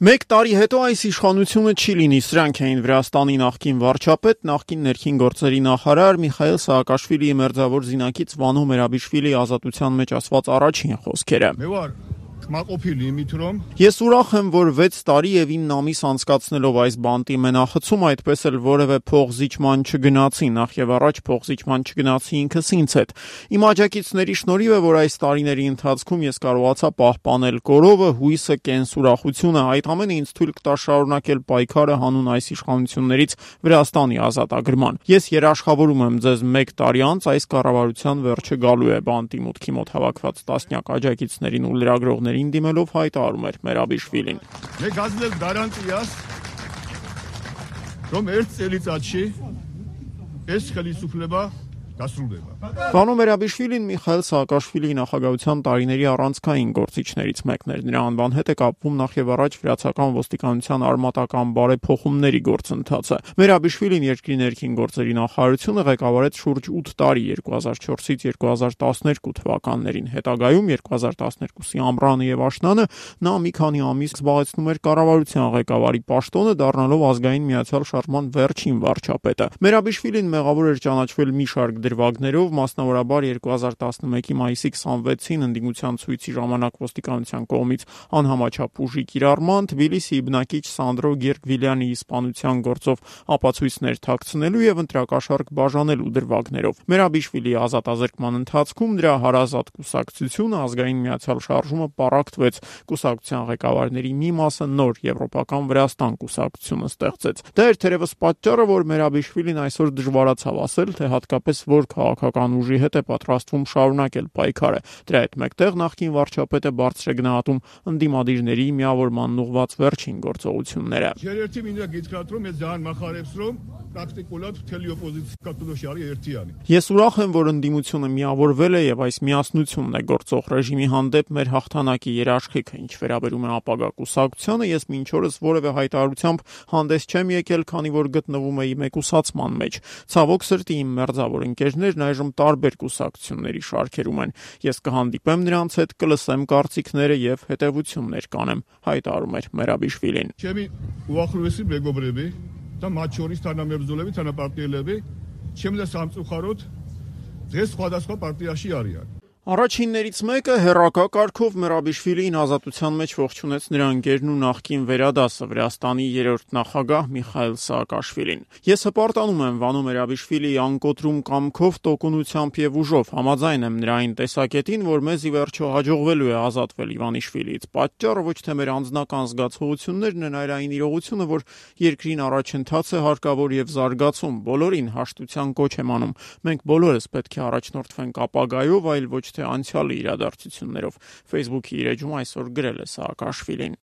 Մեկ տարի հետո այս իշխանությունը չի լինի, սրանք էին Վրաստանի նախկին վարչապետ, նախկին ներքին գործերի նախարար Միխայիլ Սաակաշվիլիի մերձավոր զինակից Վանո Մերաբիշվիլիի ազատության մեջ ասված առաջին խոսքերը։ Ես ուրախ եմ, որ 6 տարի եւ 9 ամիս անցկացնելով այս բանտի մենախցում այդպես էլ որևէ փողզիջման չգնացի, նախ եւ առաջ փողզիջման չգնացի ինքս ինձ հետ։ Իմ աջակիցների շնորհիվ է, որ այս տարիների ընթացքում ես կարողացա պահպանել կորովը, հույսը, կենսուրախությունը, այդ ամենը ինձ թույլ կտա շարունակել պայքարը հանուն այս իշխանություններից Վրաստանի ազատագրման։ Ես երաշխավորում եմ ձեզ 1 տարի անց այս կառավարության վերջը գալու է, բանտի մուտքի մոտ հավաքված տասնյակ աջակիցներին ու լրագրողներին դիմելով հայտարարում էր Մերաբիշվիլին։ Մեկ ազդել գարանտիաս, რომ ერთ წელიწადში ეს ხელისუფლება დასრულდება։ Վանո Մերաբիշվիլին Միխայիլ Սաակաշվիլիի նախագահության տարիների առանցքային գործիչներից մեկն էր։ Նրա անվան հետ է կապվում նախ եւ առաջ վրացական ոստիկանության արմատական բարեփոխումների գործընթացը։ Մերաբիշվիլին երկրի ներքին գործերի նախարարությունը ղեկավարեց շուրջ 8 տարի 2004-ից 2012 թվականներին։ Հետագայում 2012-ի ամռանը եւ աշնանը նա մի քանի ամիս զբաղեցնում էր կառավարության ղեկավարի պաշտոնը, դառնալով ազգային միացյալ շարժման վերջին վարչապետը։ Մերաբիշվիլին մեղավոր էր ճանաչվել մի շարք դրվագներով, մասնավորաբար 2011-ի մայիսի 26-ին ընդդիմության ցույցի ժամանակ ոստիկանության կողմից անհամաչափ ուժի կիրառման, Թբիլիսիի բնակիչ Սանդրո Գերգվիլյանի իսպանության գործով ապացույցներ թաքցնելու եւ ընտրակաշառք բաժանելու դրվագներով։ Մերաբիշվիլիի ազատազրկման ընթացքում դրա հարազատ կուսակցությունը ազգային միացյալ շարժումը պառակտվեց, կուսակցության ղեկավարների մի մասը նոր եվրոպական Վրաստան կուսակցությունը ստեղծեց։ Դա էր թերևս պատճառը, որ Մերաբիշվիլին այսօր դժվարացավ ասել, թե հատկապես որ քաղաքական ուժի հետ է պատրաստվում շարունակել պայքարը։ Դրա հետ մեկտեղ նախկին վարչապետը բարձր է գնահատում ընդդիմադիրների միավորման ուղղված վերջին գործողությունները։ Երերթի մինը գիտկրատում է ձան մախարեփսրում պրակտիկულად թելի օպոզիցիա կտուշարի երթիանի։ Ես ուրախ եմ, որ ընդդիմությունը միավորվել է եւ այս միասնությունն է գործող ռեժիմի հանդեպ մեր հաղթանակի երաշխիքը, ինչ վերաբերում է ապագա կուսակցությանը, ես մինչ օրս որևէ հայտարարությամբ հանդես չեմ եկել, քանի որ գտնվում էի մեկուսացման մեջ։ Ցավոք սրտի իմ մերձավոր ընկերներն այժմ տարբեր կուսակցությունների շարքերում են։ Ես կհանդիպեմ նրանց հետ, կլսեմ կարծիքները եւ հետեւություններ կանեմ, հայտարարում էր Մերաբիշվիլին։ Չեմի ուախրուեսի բեգոբրեբի, դա մաչորից թանամերձոլեվի թանապարտիելեվի, չեմ դա սամծուխարոտ, ձեզ խոդասկա պարտիաշի արիան։ Առաջիններից մեկը հերակա կարգով Մերաբիշվիլիին ազատության մեջ ողջունեց նրա ընկերն ու նախկին վերադասը Վրաստանի 3-րդ նախագահ Միխայիլ Սաակաշվիլին։ Ես հպարտանում եմ Վանո Մերաբիշվիլիի անկոտրում կամքով, տոկունությամբ եւ ուժով, համաձայն եմ նրա այն տեսակետին, որ մեզ ի վերջո հաջողվելու է ազատվել Իվանիշվիլիից։ Պատճառը ոչ թե մեր անձնական զգացողություններն են, այլ այն իրողությունը, որ երկրին առաջընթաց է հարկավոր եւ զարգացում։ Բոլորին հաշտության կոչ եմ անում։ Մենք բոլորս պետք է առաջնորդվենք ապագայով, այլ ոչ թե անցյալի իրադարձություններով։ Facebook-ի իր էջում այսօր գրել է Սաակաշվիլին։